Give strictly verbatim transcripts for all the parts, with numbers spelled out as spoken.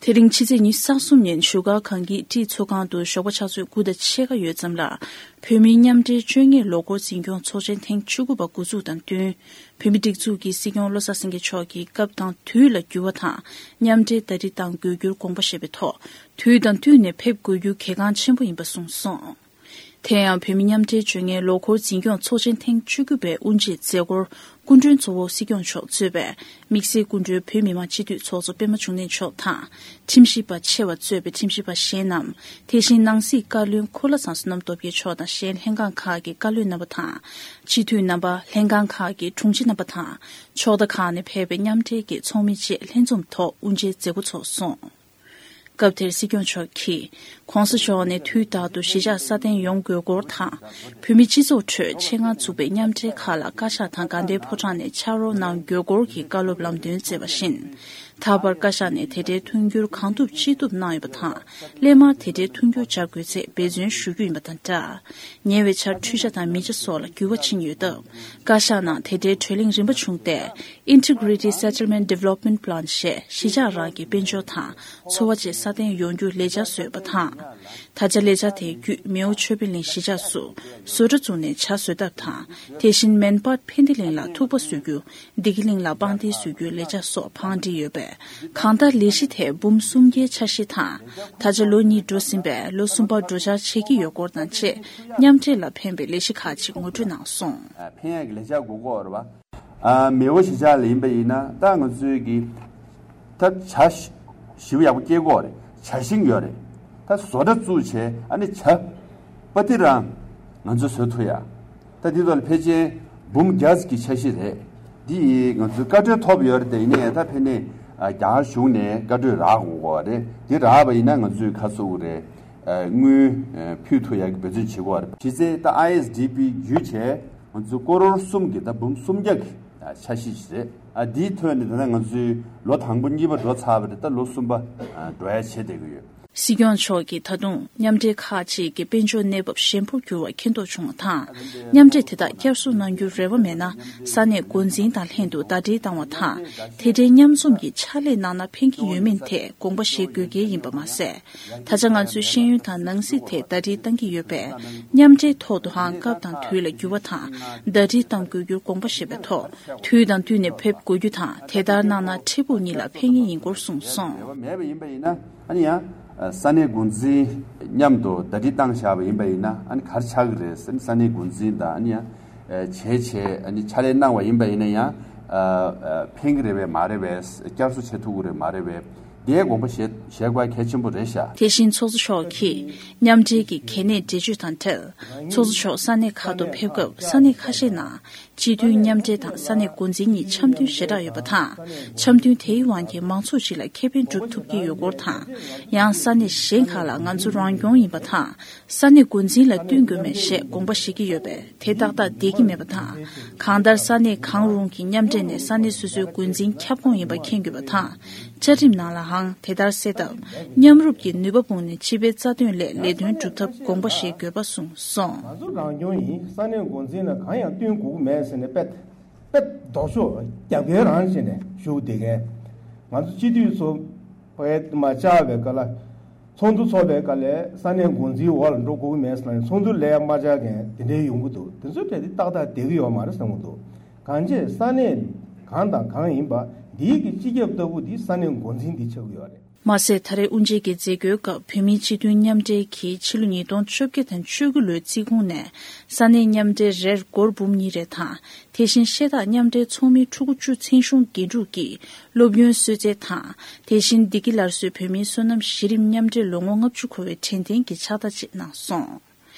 དེ་རིང་ཕྱི་ཚེས་ཉི་ཤུ་རྩ་གསུམ་ཉིན་བཞུགས་སྒར་གངས་སྐྱིད་ཀྲིག་ཚོགས་ཁང་དུ་ཞོགས་པ་ཆུ་ཚོད་དགུ་དང་ཕྱེད་ཀ་ཡོལ་ཙམ་ལ། བོད་མིའི་མཉམ་འབྲེལ་བཅོ་ལྔའི་ལོ་འཁོར་འཛིན་སྐྱོང་ཚོགས་ཆེན་ཐེངས་བཅུ་དགུ་པ་འགོ་འཛུགས་དང་བསྟུན། བོད་མིའི་སྒྲིག་འཛུགས་ཀྱི་སྲིད་སྐྱོང་བློ་བཟང་སེང་གེ་མཆོག་གིས་སྐབས་དང་དུས་ལ་འགྱུར་བ་དང་མཉམ་འབྲེལ་ཟླ་སྒྲིལ་གཏང་དགོས་རྒྱུར་དགོངས་པ་བཞེས་པའི་ཐོག་དུས་དང་བསྟུན་ནས་ཕེབས་དགོས་རྒྱུ་གལ་འགངས་ཆེན་པོ་ཡིན་པ་གསུངས་སོང་། དེ་ཡང་བོད་མི་མཉམ་འབྲེལ་བཅོ་ལྔའི་ལོ་འཁོར་འཛིན་སྐྱོང་ཚོགས་ཆེན་ཐེངས་བཅུ་དགུ་པའི་དབུ་འབྱེད་མཛད་སྒོར་སྐུ་མགྲོན་གཙོ་བོ་སྲིད་སྐྱོང་མཆོག་གཙོས་པའི་དམིགས་བསལ་སྐུ་མགྲོན་བོད་མི་མང་སྤྱི་འཐུས་ཚོགས་གཙོ་པད་མ་འབྱུང་གནས་མཆོག་དང་། ཁྲིམས་ཞིབ་པ་ཆེ་བ་གཙོས་པའི་ཁྲིམས་ཞིབ་པ་གཞན་རྣམས། དེ་བཞིན་ནང་སྲིད་བཀའ་བློན་འཁོར་ལྷ་བཟང་བསོད་ནམས་སྟོབས་རྒྱལ་མཆོག་དང་གཞན་ལྷན་ཁང་ཁག་གི་བཀའ་བློན་རྣམ་པ་དང་། སྤྱི་འཐུས་རྣམ་པ། ལྷན་ཁང་ཁག་གི་དྲུང་ཆེ་རྣམ་པ་དང་། ཕྱོགས་མཐའ་ཁག་ནས་ཕེབས་པའི་མཉམ་འབྲེལ་གྱི་ཚོགས་མི་བཅས་ལྷན་འཛོམས་ཐོག་དབུ་འབྱེད་མཛད་སྒོ་ཚོགས་སོང་། སྐབས་དེར་སྲིད་སྐྱོང་མཆོག་གིས། ྋགོང་ས་མཆོག་ནས་དུས་རྟག་ཏུ་གཞིས་ཆགས་སྲ་བརྟན་ཡོང་དགོས་སྐོར་དང་། བོད་མིའི་སྤྱི་ཚོགས་ཁྲོད་ཆེད་མངགས་བཙུགས་པའི་མཉམ་འབྲེལ་ཁག་ལ་བཀའ་ཤག་དང་དགའ་ལྡན་ཕོ་བྲང་ནས་ཕྱག་རོགས་གནང་དགོས་སྐོར་གྱི་བཀའ་སློབ་ལམ་སྟོན་བསྩལ་བ་བཞིན། ད་བར་བཀའ་ཤག་ནས་དེ་འབྲེལ་མཐུན་འགྱུར་གང་ཐུབ་ཅི་ཐུབ་གནང་ཡོད་པ་དང་། སླད་མར་དེ་འབྲེལ་མཐུན་འགྱུར་སྦྱར་དགོས་ཚེ་འབད་བརྩོན་ཞུ་རྒྱུ་ཡིན་པ་དང་སྦྲགས། ཉེ་བའི་ཆར་འཕྲུལ་ཆ་དང་མི་ཆ་སོགས་ལ་འགྱུར་བ་ཕྱིན་ཡོད་སྟབས། བཀའ་ཤག་ནང་དེ་འབྲེལ་གྲོས་གླེང་རིམ་པ་བྱུང་སྟེ། Integrated Settlement Development Plan ཞེས་གཞིས་ཆགས་རང་གི་དཔལ་འབྱོར་དང་འཚོ་བ་བཅས་སྲ་བརྟན་ཡོང་རྒྱུར་ལས་འཆར་བཟོས་པ་དང་། ད་ཆ་ལས་འཆར་དེའི་བརྒྱུད་མེའོ་ཆོས་འཕེལ་གླིང་གཞིས་ཆགས་སུ་བཟོ་གྲྭ་བཙུགས་ནས་བྱ་བཟོ་ཐབས་དང་། དེ་བཞིན་མན་སྤར་ཕན་བདེ་གླིང་ལ་ཐུག་པ་བཟོ་རྒྱུ། བདེ་སྐྱིད་གླིང་ལ་པང་གདན་བཟོ་རྒྱུའི་ལས་འཆར་སོགས་བང་བསྒྲིགས་ཡོད་པས། གང་ལྟར་ལས་གཞི་དེ་འབུམ་སུམ་བརྒྱའི་འཆར་གཞི་དང་། ད་ཆ་ལོ་གཉིས་འགྲོ་ཟིན་པས་ལོ་གསུམ་པར་འགྲོ་འཆར་བྱེད་ཀྱི་ཡོད་སྐོར་དང་བཅས། མཉམ་འབྲེལ་ལ་ཕན་པའི་ལས་གཞི་ཁག་ཅིག་ངོ་སྤྲོད་གནང་སོང་། ཕན་ཡག་གི་ལས་འཆར་དགོས་ཀྱི་ཡོད་རེད་པ། ཨ། མེའོ་གཞིས་ཆགས་ལ་ཡིན་པ་ཡིན་ན་ད་ང་ཚོའི་གི་ད་བྱ་ཞིབ་ཡག་པོ་སྐྱེལ་གྱི་ཡོད་རེད། བྱ་ཤིང་ཡོད་རེད། ད་བཟོ་གྲྭ་བཙུགས་བྱས་ཨ་ནི་བྱ་པ་ཏི་རང་ང་ཚོས་བཟོ་ཐུབ་ཡ། ད་འདི་ཐོག་ལ་ཕལ་ཆེར་འབུམ་བརྒྱ་ཙམ་གྱི་འཆར་གཞི་རེད། འདི་ཡིས་ང་ཚོས་བཀའ་འཁྲོལ་ཐོབ་ཡོད་རེད། དེ་ཡིན་ནའི་ད་ཕན་ནས་རྒྱ་གར་གཞུང་ནས་བཀའ་འཁྲོལ་རག་དགོས་ཀྱི་ཡོད་རེད། འདི་རག་པ་ཡིན་ན་ང་ཚོས་ཁ་ཚུགས་རེད། དངུལ་ཕུལ་ཐུབ་ཡག་གི་འབད་བརྩོན་བྱེད་ཀྱི་ཡོད་རེད། གཞི་རྩའི་ད་ཨའི་ཨེས་ཌི་པི་བརྒྱུད་བྱས། ང་ཚོ་ཀོ་རོར་གསུམ་གྱི་ད་འབུམ་སུམ་བརྒྱ་གི་འཆར་གཞི་ཞིག་རེད། ཨ། འདིའི་ཐོག་ནས་ད་ལྟ་ང་ཚོའི་ལོ་དང་པོ་གཉིས་པ་འགྲོ་ཚར་བ་རེད། ད་ལོ་གསུམ་པ་འགྲོ་ཡ་བྱེད་བསྡད་ཀྱི་ཡོད། སྲིད་སྐྱོང་མཆོག་གིས་ད་དུང་མཉམ་འབྲེལ་ཁག་ཅིག་གི་དཔལ་འབྱོར་གནས་བབ་ཞན་པོར་གྱུར་བ་མཁྱེན་རྟོགས་བྱུང་བ་དང་། མཉམ་འབྲེལ་དེ་དག་བསྐྱར་གསོ་གནང་རྒྱུའི་རེ་བ་མེད་ན། ས་གནས་འགོ་འཛིན་དང་ལྷན་དུ་ཟླ་སྒྲིལ་བཏང་བ་དང་། དེ་འབྲེལ་མཉམ་འཛོམས་ཀྱི་ཕྱག་ལས་གནང་ན་ཕན་གྱི་ཡོད་མིན་ཐད་དགོངས་པ་བཞེས་དགོས་གལ་ཡིན་པ་མ་ཟད། ད་ཆ་ང་ཚོས་ཤེས་ཡོན་དང་ནང་སྲིད་ཐད་ཟླ་སྒྲིལ་གཏང་གི་ཡོད་པས། མཉམ་འབྲེལ་ཐོག་ཏུའང་སྐབས་དང་དུས་ལ་འགྱུར་བ་དང་ཟླ་སྒྲིལ་གཏང་དགོས་རྒྱུར་དགོངས་པ་བཞེས་པའི་ཐོག་དུས་དང་བསྟུན་ནས་ཕེབས་དགོས་རྒྱུ་དང་། དེ་ལྟར་གནང་ན་འཕྲལ་ཕུགས་གཉིས་ལ་ཕན་ངེས་ཡིན་སྐོར་གསུངས་སོང་། མེད་པ་ཡིན་པ་ཡིན་ན་ཨ་ནི་ཡང་ས་གནས་འགོ་འཛིན་མཉམ་དུ་ཟླ་སྒྲིལ་བཏང་བཞག་པ་ཡིན་པ་ཡིན་ན་ཨ་ནི་ག་རེ་ཆགས་ཀྱི་རེད། ས་གནས་འགོ་འཛིན་དང་ཨ་ནི་ཡང་བྱས་བྱས་ཨ་ནི་ཕྱག་ལས་གནང་བ་ཡིན་པ་ཡིན་ན་ཡང་ཕན་གྱི་རེད་པས་མ་རེད་པས། བསྐྱར་གསོ་བྱེད་ཐུབ་ཀྱི་རེད་མ་རེད་པས། དེའི་དགོངས་པ་བཞེས་བཞེས་དགོས་གལ་ཆེན་པོ་རེད་ཤག་དེ་བཞིན་ཚོགས་གཙོ་མཆོག་གིས་མཉམ་འབྲེལ་གྱི་གལ་གནད་འགྲེལ་བརྗོད་དང་འབྲེལ། ཚོགས་གཙོ་མཆོག་ས་གནས་ཁག་ཏུ་ཕེབས་སྐབས་ས་གནས་ཁ་ཤས་ནང་སྤྱི་འཐུས་མཉམ་འབྲེལ་དང་ས་གནས་འགོ་འཛིན་གཉིས་འཆམ་མཐུན་ཞེ་དྲག་ཡོད་པ་དང་། འཆམ་མཐུན་དེའི་དབང་གིས་མང་ཚོགས་སྤྱི་ལ་ཁེ་ཕན་སྒྲུབ་ཐུབ་ཀྱི་ཡོད་སྐོར་དང་། ཡང་ས་གནས་གཞན་ཁག་ལ་ང་ཚོ་རང་སྐྱོང་ཡིན་པ་དང་། ས་གནས་འགོ་འཛིན་ལ་བསྟུན་དགོས་མེད་ཞེས་དགོངས་པ་བཞེས་ཀྱི་ཡོད་པས། དེ་ཏག་ཏག་བསྡད་ཀྱི་མེད་པ་དང་། གང་ལྟར་ས་གནས་གང་རུང་གི་མཉམ་འབྲེལ་ནས་ས་གནས་སོ་སོའི་འགོ་འཛིན་ཁྱབ་ཁོངས་ཡིན་པ་མཁྱེན་དགོས་པ་དང་། བཅའ་ཁྲིམས་ནང་ལའང་དེ་ལྟར་གསལ་སྟབས། མཉམ་རུབ་ཀྱི་ནུས་པ་སྤུངས་ནས་སྤྱི་པའི་རྩ་དོན་སླད་ལས་དོན་སྒྲུབ་ཐབས་དགོངས་པ་བཞེས་དགོས་པ་གསུངས་སོང་། ང་ཚོ་རང་སྐྱོང་ཡིན། ས་གནས་འགོ་འཛིན་ལ་གང་ཡང་བསྟུན་དགོས་ཀྱི་མེད་ཟེར་ནས་དཔེ་དཔེ་ལྡོག་ཕྱོགས་རྒྱབ་འགལ་རང་བྱས་ནས་བཞུགས་བསྡད་མཁན། ང་ཚོ་སྤྱི་འཐུས་ཚོ་ཕ་གིར་མ་བཅར་བའི་སྐབས་ལ། ཚོགས་འདུ་ཚོགས་པའི་སྐབས་ལ་ས་གནས་འགོ་འཛིན་འོག་ལ་འགྲོ་དགོས་ཀྱི་མེད་ཟེར་ནས། ཚོགས་འདུ་ལ་མ་བཅར་མཁན་དེ་འདྲའི་ཡོང་གི་འདུག་དེ་ཚོའི་གྲས་དེ་ཏག་ཏག་བསྡད་ཀྱི་ཡོད་མ་རེད་བསམ་གྱི་འདུག་གང་ཅི་ས་གནས་གང་དང་གང་ཡིན་པ་འདིའི་གི་སྤྱི་ཁྱབ་ལྟ་བུ་འདི་ས་གནས་འགོ་འཛིན་འདི་ཆགས་ཀྱི་ཡོད་རེད། མ་ཟད་ད་རེས་དབུ་འབྱེད་ཀྱི་མཛད་སྒོའི་སྐབས་བོད་མིའི་སྤྱི་མཐུན་མཉམ་འབྲེལ་གྱིས་ཕྱི་ལོ་ཉིས་སྟོང་བཅོ་བརྒྱད་དང་བཅུ་དགུ་ལོའི་རྩིས་ཁུངས་ནས་ས་གནས་མཉམ་འབྲེལ་རེར་སྒོར་འབུམ་གཉིས་རེ་དང་། དེ་བཞིན་ཤེས་རྟགས་མཉམ་འབྲེལ་ཚོགས་མི་ཕྲུ་གུ་བཅུ་མཚན་གཞུང་འགན་འཁྲུག་གིས་སློབ་ཡོན་གསོལ་སྩལ་དང་། དེ་བཞིན་བདེ་སྐྱིད་སླར་གསོའི་བོད་མིའི་སོ་ནམ་གཞི་རིམ་མཉམ་འབྲེལ་ལོ་ངོ་ལྔ་བཅུ་འཁོར་བའི་དྲན་རྟེན་གྱི་ཕྱག་རྟགས་བཅས་གནང་སོང་།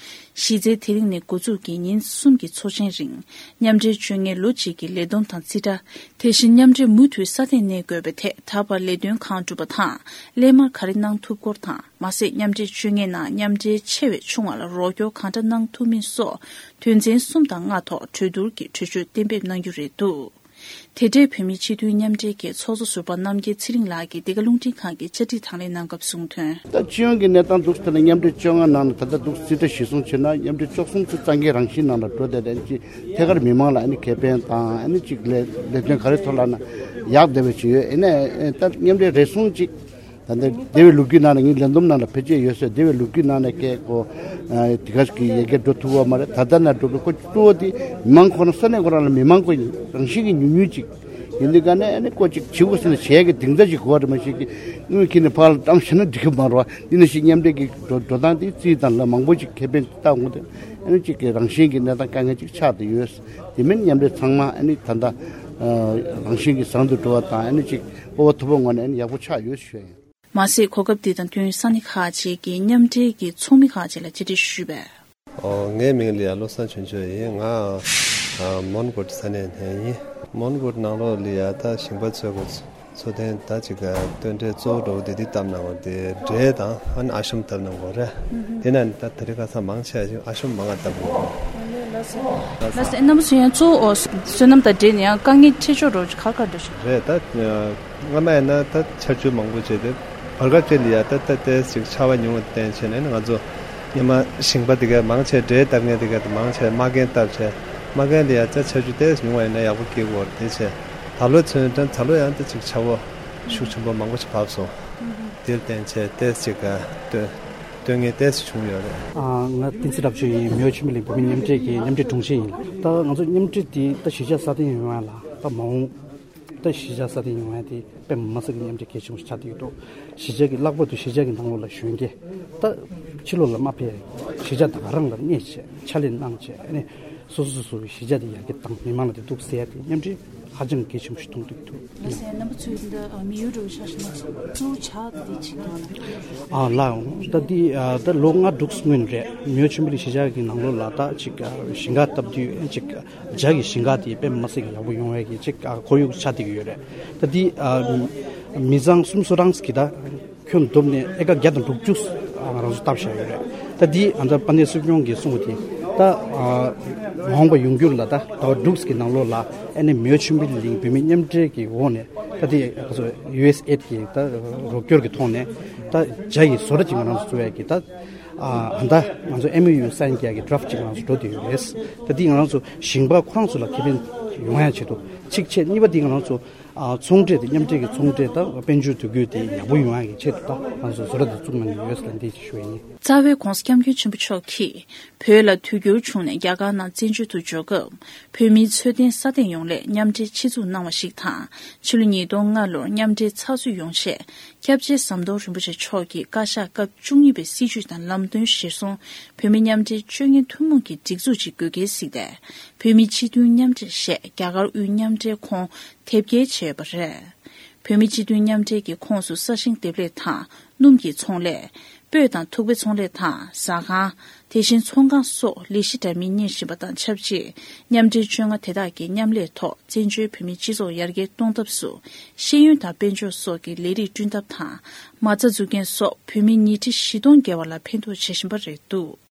གཞི་རྩའི་དེ་རིང་ནས་འགོ་འཛུགས་ཀྱིས་ཉིན་གསུམ་གྱི་ཚོགས་ཆེན་རིང་། མཉམ་འབྲེལ་བཅོ་ལྔའི་ལོ་གཅིག་གི་ལས་བསྡོམས་དང་རྩིས་ཁྲ། དེ་བཞིན་མཉམ་འབྲེལ་མུ་མཐུད་སྲ་བརྟན་གནས་དགོས་པའི་ཐད་ད་བར་ལས་དོན་གང་བསྒྲུབས་པ་དང་། སླད་མར་ག་རེ་གནང་ཐུབ་སྐོར་དང་། མ་ཟད་མཉམ་འབྲེལ་བཅོ་ལྔའི་ནང་མཉམ་འབྲེལ་ཆེ་བའི་ཆུང་བ་ལ་རོགས་སྐྱོར་གང་འདྲ་གནང་ཐུབ་མིན་སོགས་དོན་ཚན་གསུམ་དང་ལྔ་ཐོག་གྲོས་བསྡུར་གྱིས་གྲོས་ཆོད་གཏན་འབེབས་གནང་རྒྱུ་རེད་འདུག་དེ་འབྲེལ་བོད་མིའི་སྤྱི་མཐུན་མཉམ་འབྲེལ་གྱི་ཚོགས་གཙོ་ཟུར་པ་རྣམ་རྒྱལ་ཚེ་རིང་ལགས་ཀྱིས་འདི་ག་རླུང་འཕྲིན་ཁང་གི་བཅར་འདྲི་དང་ལེན་གནང་སྐབས་གསུངས་དོན། ད་སྤྱི་ཡོངས་ཀྱི་གནས་སྟངས་འདུག་ཟེར་ན་མཉམ་འབྲེལ་བཅོ་ལྔ་ནང་ལ་ད་ལྟ་འདུག་རྩིས་ཁྲ་གཞིར་བཟུང་བྱས་ན་མཉམ་འབྲེལ་བཅུ་གསུམ་ཚོ་གཙང་རྒྱལ་རང་བཞིན་ནང་ལ་འགྲོ་བསྡད་དེ་ཅིག་ཐད་ཀར་མི་མང་ལ་ཨ་ནི་ཁེ་ཕན་དང་ཨ་ནི་ཅིག་ལས་ལས་དོན་ག་རེ་ཐོག་ལ་ན་ཡག་བསྡད་པ་ཅིག་ཡོད། ཨ་ནི་ད་མཉམ་འབྲེལ་རེ་ཟུང་ཅིག་ ད་ལྟ་སྡེ་བའི་ལོ་རྒྱུས་ནང་ལ་ངའི་ལས་བསྡོམས་ནང་ལ་བེད་སྤྱོད་ཡོད་ཟེར། སྡེ་བའི་ལོ་རྒྱུས་ནང་ལ་སྐད་ཀོ་དེ་ག་ཞིག་གི་ཡི་གེ་འགྲོ་ཐུབ་པ་མ་རེད། ད་ལྟ་ན་འགྲོ་གི་ཁོ་གཙོ་བོ་དེ་མི་མང་ཁོ་ན་ས་གནས་ཁོ་རང་ལ་མི་མང་ཁོ་རང་བཞིན་གྱི་ཉུང་ཉུང་ཅིག་ཡིན་དུས་ག་ནས་ཨ་ནི་ཀོ་ཅིག་བྱེད་དགོས་ཟེར་ན་བྱེད་ཡ་གི་གདེང་ཚ་ཅིག་དགོས་པ་རེད། མ་གཞི་གི་དངུལ་ཁྱེར་ནས་ཕར་ལ་བཀྲམ་བཞག་ན་འགྲིག་གི་མ་རེད་བ། འདི་ནང་བཞིན་མཉམ་འབྲེལ་གྱི་འགྲོ་འགྲོ་སྟངས་དེ་རྩིས་དང་ལ་མང་པོ་ཅིག་ཁེ་ཕན་བཏང་འོང་དུས་ཨ་ནི་ཅིག་གི་རང་བཞིན་གྱི་གནས་སྟངས་དཀའ་ངལ་ཅིག་ཆགས་བསྡད་ཡོད། དེ་མིན་མཉམ་འབྲེལ་ཚང་མ་ཨ་ནི་ད་ལྟ་རང་བཞིན་གྱི་བཟང་དུ་འགྲོ་བ་དང་ཨ་ནི་ཅིག་སྤོབས་པ་མཐོ་པོ་ངང་ནས་ཨ་ནི་ཡག་པོ་ཆགས་ཡོད་ཞུ་ཡ་ཡིན། མ་ཟད་གོ་སྐབས་འདི་དང་བསྟུན་ས་གནས་ཁག་ཅིག་གི་མཉམ་འབྲེལ་གྱི་ཚོགས་མི་ཁག་ཅིག་ལ་བཅར་འདྲི་ཞུས་པས། ཨོ། ངའི་མིང་ལ་ཡ་བློ་བཟང་ཆོས་འབྱོར་ཡིན། ང་ཨ་མོན་གྷོ་ས་གནས་ནས་ཡིན། མོན་གྷོ་ནང་ལོགས་ལ་ཡ་ད་ཞིང་པ་ཚོའི་གི་འཚོ་རྟེན་ད་ཅིག་ག་སྟོན་འབྲས་གཙོ་བོ་འགྲོ་བ་དེ་དེ་བཏབ་གནང་བ་དེ་འབྲས་དང་ཨ་ནི་ཨ་ཤམ་བཏབ་གནང་གོ་རེད། དེ་ན་ནི་ད་དེ་རིང་ཁ་སང་མང་ཆེ་བ་ཞིག་ཨ་ཤམ་མང་ང་བཏབ་གནང་གོ། ལགས་སོ། ལགས་སོ། རྣམ་པ་ཚོ་ཡང་གཙོ་བོ་སོ་ནམ་དང་འབྲེལ་ནས་ཡང་དཀའ་ངལ་འཕྲད་ཕྱོགས་རོགས་ག་ག་འདྲ་ཞིག་རེད། ད་སྔ་མ་ཡིན་ན་ད་ཆར་ཆུ་མང་པོ་བྱས་ཏེ་བར་སྐབས་ཅིག་ལ་ཡ་ད་ད་ཏོག་ཙམ་ཆར་པ་ཉུང་བ་བརྟེན་བྱས་ནས་ང་ཚོ་སྔོན་མ་ཞིང་པ་དེ་ག་མང་ཆེ་འབྲས་བཏབ་མཁན་དེ་ག་དེ་མང་ཆེ་མ་རྒན་བཏབ་བྱས་མ་རྒན་ལ་ཡ་ད་ཆར་ཆུ་ཏོག་ཙམ་ཉུང་བ་ཡིན་ན་ཡག་པོ་སྐྱེ་གི་ཡོད་རེད། དེ་བྱས་ད་ལོ་ཚུན་ད་ད་ལོ་ཡང་ད་ཅིག་ཆར་པ་ཤུགས་ཆེན་པོ་མང་པོ་ཞིག་བབས་སོང་། དེར་བརྟེན་བྱས་ཏོག་ཙམ་ཅིག་ག་སྟོན་སྟོན་མཁན་ཏོག་ཙམ་བྱུང་ཡོད་རེད། ཨ། ང་བསྟན་འཛིན་རབ་བྱུང་ཡིན། མེའོ་ཆོས་འཕེལ་གླིང་བོད་མི་མཉམ་འབྲེལ་གྱི་མཉམ་འབྲེལ་དྲུང་ཆེ་ཡིན། ད་ང་ཚོ་མཉམ་འབྲེལ་འདི་ད་གཞིས་ཆགས་སྲ་བརྟན་ཡོང་ཡ་ལ་ད་མ་འོངས་ད་གཞིས་ཆགས་སྲ་བརྟན་ཡོང་ཡ་དེ་དཔེ་མི་སྲིད་ཀྱི་མཉམ་འབྲེལ་གལ་ཆེན་པོ་ཞིག་ཆགས་བསྡད་ཡོད་འདུག་གཞིས་ཆགས་ཀྱི་ལྷག་པར་དུ་གཞིས་ཆགས་ཀྱི་ནང་ལོགས་ལ་གཞོན་སྐྱེས་ད་ཕྱི་ལོགས་ལ་མ་ཕེབས། གཞིས་ཆགས་ད་ག་རང་ལ་གནས་བྱས་ཕྱག་ལས་གནང་བྱས་ཨ་ནི་སོ་སོ་སོ་སོའི་གཞིས་ཆགས་དེ་ཡར་རྒྱས་བཏང་མི་མང་ལ་དེ་འདུག་ཟེར་ཡ་དེ་མཉམ་འབྲེལ་ཧ་ཅང་གལ་ཆེན་པོ་ཞིག་མཐོང་གི་འདུག་ལགས་སོ། རྣམ་པ་ཚོས་འདི་མི་ཡུལ་འགྲོ་བའི་ཆ་ཞིག་ན་གཙོ་བོ་ཇ་དེ་ཅིག་དང་། ཨ་ལགས། ད་འདི་ཨ་ད་ལོ་ལྔ་དྲུག་སྔོན་རེད། མེའོ་ཆོས་འཕེལ་གཞིས་ཆགས་ཀྱི་ནང་ལོགས་ལ་ད་ཅིག་ཨ་ཞིང་ཁ་བཏབ་དུས་ཅིག་ཇ་གི་ཞིང་ཁ་དེ་དཔེ་མི་སྲིད་ཀྱི་ཡག་པོ་ཡོང་བའི་གི་ཅིག་ཨ་ཁོར་ཡུག་ཆགས་བསྡད་ཀྱི་ཡོད་རེད། ད་འདི་ཨ་མི་ཚང་གསུམ་བཟོ་གྲངས་ཀྱི་ད་ཁྱོན་བསྡོམས་ནས་ཨེ་ཀར་བརྒྱ་དང་དྲུག་ཅུ་ང་རང་ཚོ་བཏབ་བཞག་ཡོད་རེད། ད་འདི་ཨ་ད་དཔལ་ལྡན་སྲིད་སྐྱོང་གིས་གསུངས་པ་དེ་ད་ཨ་མ་འོངས་པ་ཡོང་རྒྱུ་ལ་ད་ཟླ་བ་དྲུག་གི་ནང་ལོགས་ལ་ཨ་ནི་མེའོ་ཆོས་འཕེལ་གླིང་བོད་མི་མཉམ་འབྲེལ་གྱི་འོག་ནས་ད་འདི་ང་ཚོ་ཡུ་ཨེས་ཨེ་ཌི་གི་ད་རོགས་སྐྱོར་གྱི་ཐོག་ནས་ད་ཇ་ཡི་བཟོ་གྲྭ་ཅིག་ང་རང་ཚོ་བཙུགས་ཡས་ཀྱི་ད་ཨ་ད་ང་ཚོ་ཨེམ་ཨོ་ཡུ་སའིན་རྒྱག་གི་ཌ་རབ་ཅིག་ང་རང་ཚོ་འགྲོ་བསྡད་ཡོད་རེད། ད་འདི་ང་རང་ཚོ་ཞིང་པ་ཁོ་རང་ཚོ་ལ་ཁེ་ཕན་ཡོང་ཡ་ཆེད་དུ་གཅིག་བྱས། གཉིས་པ་འདི་ང་རང་ཚོ་ཨ་ཚོང་འབྲེལ་དེ་མཉམ་འབྲེལ་གྱི་ཚོང་འབྲེལ་དང་དཔལ་འབྱོར་དུས་འགྱུར་དེ་ཡག་པོ་ཡོང་ཡག་གི་ཆེད་དུ་ད་ང་ཚོ་བཟོ་གྲྭ་དེ་བཙུགས་གནང་གི་ཡོད་ཟེར་འདི་ཞུ་ཡ་ཡིན། རྩ་བའི་༧གོང་ས་༧སྐྱབས་མགོན་ཆེན་པོ་མཆོག་གིས་བོད་ལ་དུས་འགྱུར་བྱུང་ནས་རྒྱ་གར་ནང་བཙན་བྱོལ་དུ་འབྱོར་སྐབས་བོད་མིའི་འཚོ་རྟེན་སྲ་བརྟན་ཡོང་སླད་མཉམ་འབྲེལ་ཆེད་འཛུགས་གནང་བ་ཞིག་དང་། ཕྱི་ལོ་ཉིས་སྟོང་ལྔ་ལོར་མཉམ་འབྲེལ་ཚགས་ཚུད་ཡོང་ཆེད་སྐྱབས་རྗེ་ཟམ་གདོང་རིན་པོ་ཆེ་མཆོག་གིས་བཀའ་ཤག་སྐབས་བཅུ་གཉིས་པའི་སྲིད་བྱུས་དང་ལམ་སྟོན་གཞིར་བཟུང་བོད་མི་མཉམ་འབྲེལ་སྤྱོད་མཁན་ཐུན་མོང་གི་སྒྲིག་འཛུགས་ཅིག་དགོས་གལ་གཟིགས་ཏེ་བོད་མི་སྤྱི་མཐུན་མཉམ་འབྲེལ་ཞེས་རྒྱ་གར་དབུས་མཉམ་འབྲེལ་ཁོངས་དེབ་སྐྱེལ་བྱས་ཡོད་པ་རེད། བོད་མི་སྤྱི་མཐུན་མཉམ་འབྲེལ་གྱི་ཁོངས་སུ་ས་ཞིང་འདེབས་ལས་དང་སྣུམ་གྱི་ཚོང་ལས། སྤོས་དང་ཐུག་པའི་ཚོང་ལས་དང་ཟ་ཁང་། དེ་བཞིན་ཚོང་ཁང་སོགས་ལས་གཞི་འདྲ་མིན་གཉེར་བཞིན་པ་དང་ཆབས་ཅིག་མཉམ་འབྲེལ་བཅོ་ལྔ་དེ་དག་གི་མཉམ་ལས་ཐོག་བཙན་བྱོལ་བོད་མིའི་སྤྱི་ཚོགས་ཡར་རྒྱས་གཏོང་ཐབས་སུ་ཤེས་ཡོན་དང་དཔལ་འབྱོར་སོགས་ཀྱི་ལས་རིགས་བསྐྲུན་ཐབས་དང་མ་རྩ་འཛུགས་མཁན་སོགས་བོད་མི་ཉིས་ཁྲི་བཞི་སྟོང་བརྒལ་བ་ལ་ཕན་ཐོགས་བྱེད་བཞིན་པ་རེད་འདུག